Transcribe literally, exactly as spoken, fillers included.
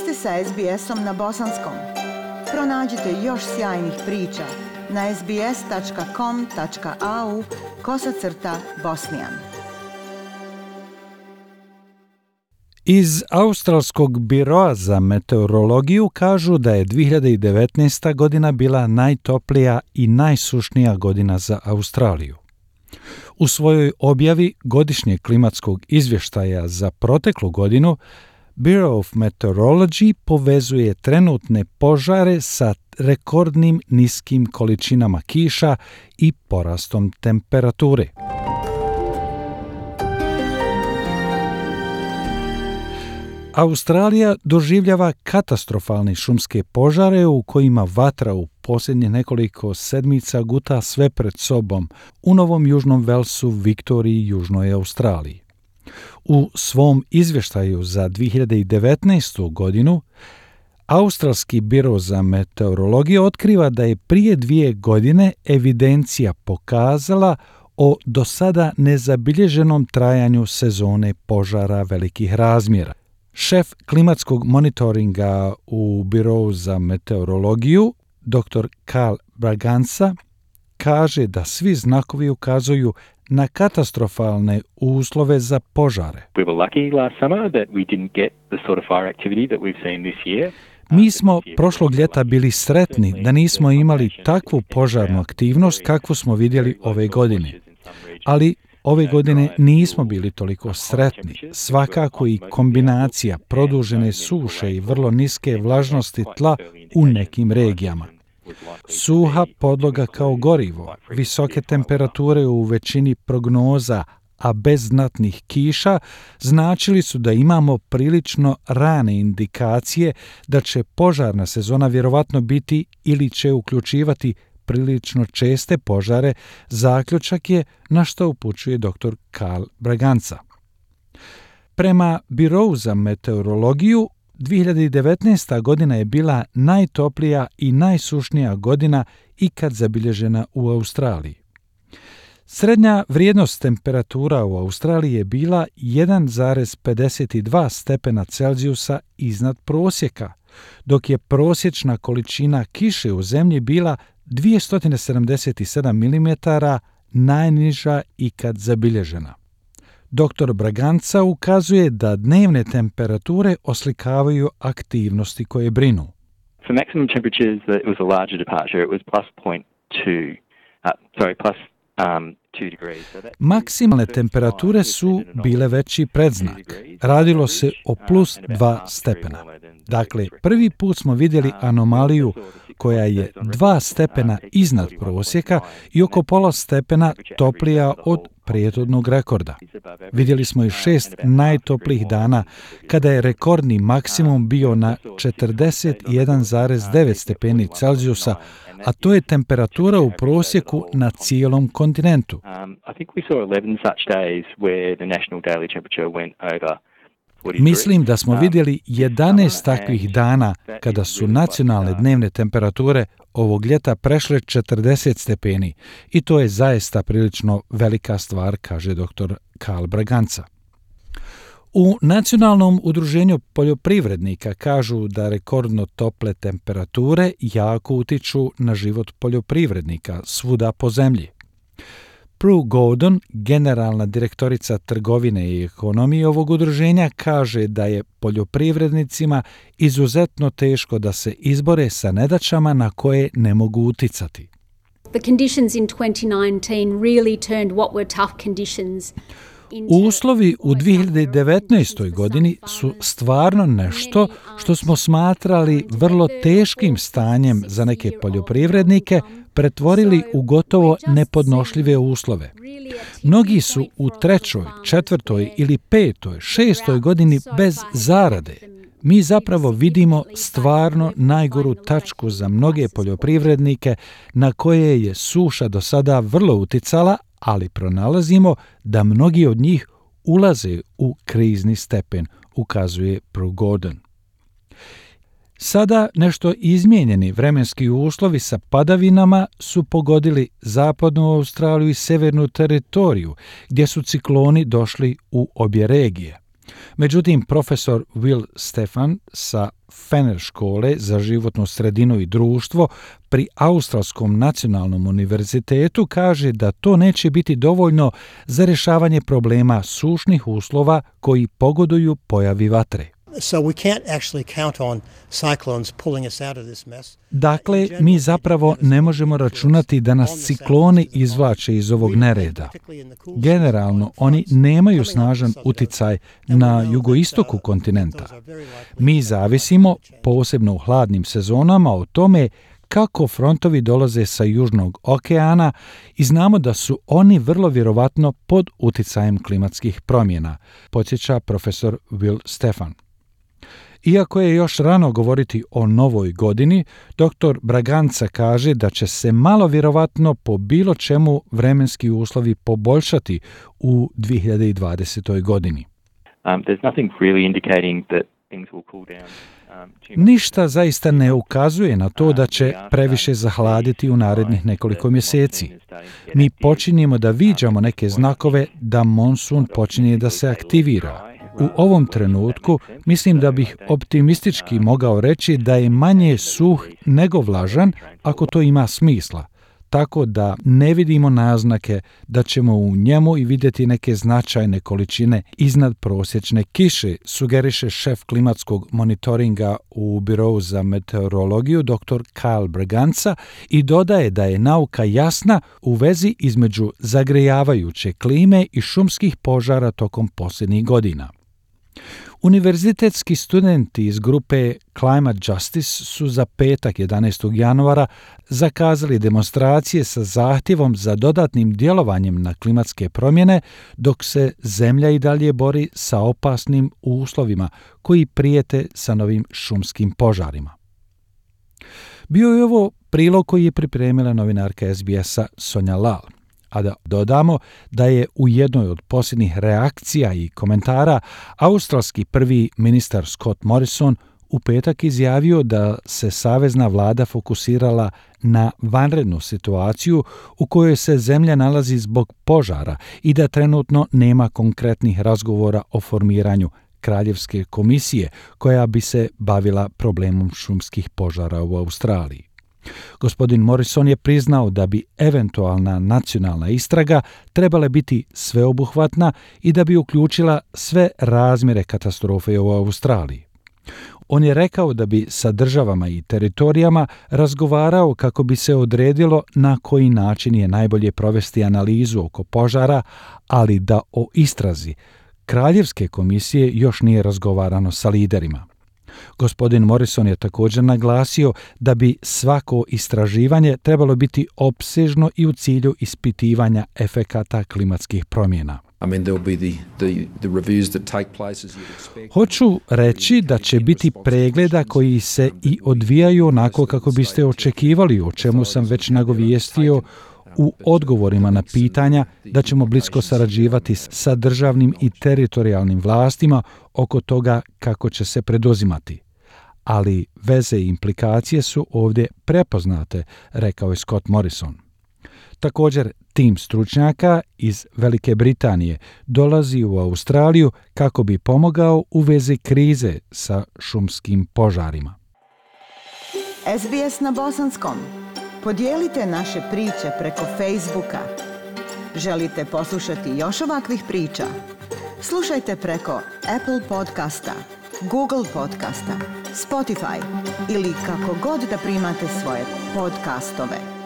ste sa es be esom na bosanskom. Pronađite još sjajnih priča na es be es tačka com tačka a u kosacrta bosnijan. Iz Australskog biroa za meteorologiju kažu da je dvije hiljade devetnaesta. godina bila najtoplija i najsušnija godina za Australiju. U svojoj objavi godišnjeg klimatskog izvještaja za proteklu godinu, Bureau of Meteorology povezuje trenutne požare sa rekordnim niskim količinama kiša i porastom temperature. Australija doživljava katastrofalne šumske požare u kojima vatra u posljednjih nekoliko sedmica guta sve pred sobom u Novom Južnom Velsu, Viktoriji i Južnoj Australiji. U svom izvještaju za dvije hiljade devetnaestu. godinu, Australski biro za meteorologiju otkriva da je prije dvije godine evidencija pokazala o do sada nezabilježenom trajanju sezone požara velikih razmjera. Šef klimatskog monitoringa u Birovu za meteorologiju, dr Carl Braganza, kaže da svi znakovi ukazuju na katastrofalne uslove za požare. We were lucky last summer that we didn't get the sort of fire activity that we've seen this year. Mi smo prošlog ljeta bili sretni da nismo imali takvu požarnu aktivnost kakvu smo vidjeli ove godine. Ali ove godine nismo bili toliko sretni. Svakako i kombinacija produžene suše i vrlo niske vlažnosti tla u nekim regijama. Suha podloga kao gorivo, visoke temperature u većini prognoza, a bez znatnih kiša, značili su da imamo prilično rane indikacije da će požarna sezona vjerovatno biti ili će uključivati prilično česte požare, zaključak je na što upućuje dr Carl Braganza. Prema Birovu za meteorologiju, dvije hiljade devetnaesta. godina je bila najtoplija i najsušnija godina ikad zabilježena u Australiji. Srednja vrijednost temperatura u Australiji je bila jedan zarez pedeset dva stepena Celzijusa iznad prosjeka, dok je prosječna količina kiše u zemlji bila dvjesto sedamdeset sedam milimetara, najniža ikad zabilježena. dr Braganza ukazuje da dnevne temperature oslikavaju aktivnosti koje brinu. For maximum temperatures, it was a larger departure. It was plus point two, uh, sorry, plus um, two degrees. So that... Maksimalne temperature su bile veći predznak. Radilo se o plus dva stepena. Dakle, prvi put smo vidjeli anomaliju koja je dva stepena iznad prosjeka i oko pola stepena toplija od prethodnog rekorda. Vidjeli smo i šest najtoplijih dana kada je rekordni maksimum bio na četrdeset jedan zarez devet stepeni Celzijusa, a to je temperatura u prosjeku na cijelom kontinentu. Mislim da smo vidjeli jedanaest takvih dana kada su nacionalne dnevne temperature ovog ljeta prešle četrdeset stepeni i to je zaista prilično velika stvar, kaže dr Carl Braganza. U Nacionalnom udruženju poljoprivrednika kažu da rekordno tople temperature jako utiču na život poljoprivrednika svuda po zemlji. Prue Gordon, generalna direktorica trgovine i ekonomije ovog udruženja, kaže da je poljoprivrednicima izuzetno teško da se izbore sa nedaćama na koje ne mogu uticati. The conditions in twenty nineteen really turned what were tough conditions. Uslovi u dvije hiljade devetnaestoj. godini su stvarno nešto što smo smatrali vrlo teškim stanjem za neke poljoprivrednike pretvorili u gotovo nepodnošljive uslove. Mnogi su u trećoj, četvrtoj ili petoj, šestoj godini bez zarade. Mi zapravo vidimo stvarno najgoru tačku za mnoge poljoprivrednike na koje je suša do sada vrlo uticala, ali pronalazimo da mnogi od njih ulaze u krizni stepen, ukazuje Prue Gordon. Sada nešto izmijenjeni vremenski uslovi sa padavinama su pogodili zapadnu Australiju i severnu teritoriju, gdje su cikloni došli u obje regije. Međutim, profesor Will Stefan sa Fenner škole za životnu sredinu i društvo pri Australskom nacionalnom univerzitetu kaže da to neće biti dovoljno za rješavanje problema sušnih uslova koji pogoduju pojavi vatre. So we can't actually count on cyclones pulling us out of this mess. Dakle, mi zapravo ne možemo računati da nas cikloni izvlače iz ovog nereda. Generalno, oni nemaju snažan uticaj na jugoistoku kontinenta. Mi zavisimo, posebno u hladnim sezonama, o tome kako frontovi dolaze sa Južnog okeana i znamo da su oni vrlo vjerovatno pod uticajem klimatskih promjena, podsjeća profesor Will Stefan. Iako je još rano govoriti o novoj godini, doktor Braganca kaže da će se malo vjerovatno po bilo čemu vremenski uslovi poboljšati u dvije hiljade dvadesetoj godini. Um, there's nothing really indicating that things will cool down. Ništa zaista ne ukazuje na to da će previše zahladiti u narednih nekoliko mjeseci. Mi počinjemo da viđamo neke znakove da monsun počinje da se aktivira. U ovom trenutku mislim da bih optimistički mogao reći da je manje suh nego vlažan, ako to ima smisla. Tako da ne vidimo naznake da ćemo u njemu i vidjeti neke značajne količine iznad prosječne kiše, sugeriše šef klimatskog monitoringa u Birovu za meteorologiju doktor Kyle Braganca i dodaje da je nauka jasna u vezi između zagrejavajuće klime i šumskih požara tokom posljednjih godina. Univerzitetski studenti iz grupe Climate Justice su za petak jedanaestog januara zakazali demonstracije sa zahtjevom za dodatnim djelovanjem na klimatske promjene, dok se zemlja i dalje bori sa opasnim uslovima koji prijete sa novim šumskim požarima. Bio je ovo prilog koji je pripremila novinarka es bi esa Sonja Lal. A da dodamo da je u jednoj od posljednjih reakcija i komentara australski prvi ministar Scott Morrison u petak izjavio da se savezna vlada fokusirala na vanrednu situaciju u kojoj se zemlja nalazi zbog požara i da trenutno nema konkretnih razgovora o formiranju kraljevske komisije koja bi se bavila problemom šumskih požara u Australiji. Gospodin Morrison je priznao da bi eventualna nacionalna istraga trebala biti sveobuhvatna i da bi uključila sve razmjere katastrofe u Australiji. On je rekao da bi sa državama i teritorijama razgovarao kako bi se odredilo na koji način je najbolje provesti analizu oko požara, ali da o istrazi kraljevske komisije još nije razgovarano sa liderima. Gospodin Morrison je također naglasio da bi svako istraživanje trebalo biti opsežno i u cilju ispitivanja efekata klimatskih promjena. Hoću reći da će biti pregleda koji se i odvijaju onako kako biste očekivali, o čemu sam već nagovijestio u odgovorima na pitanja da ćemo blisko sarađivati sa državnim i teritorijalnim vlastima oko toga kako će se preduzimati. Ali veze i implikacije su ovdje prepoznate, rekao je Scott Morrison. Također, tim stručnjaka iz Velike Britanije dolazi u Australiju kako bi pomogao u vezi krize sa šumskim požarima. es bi es na bosanskom. Podijelite naše priče preko Facebooka. Želite poslušati još ovakvih priča? Slušajte preko Apple podcasta, Google podcasta, Spotify ili kako god da primate svoje podcastove.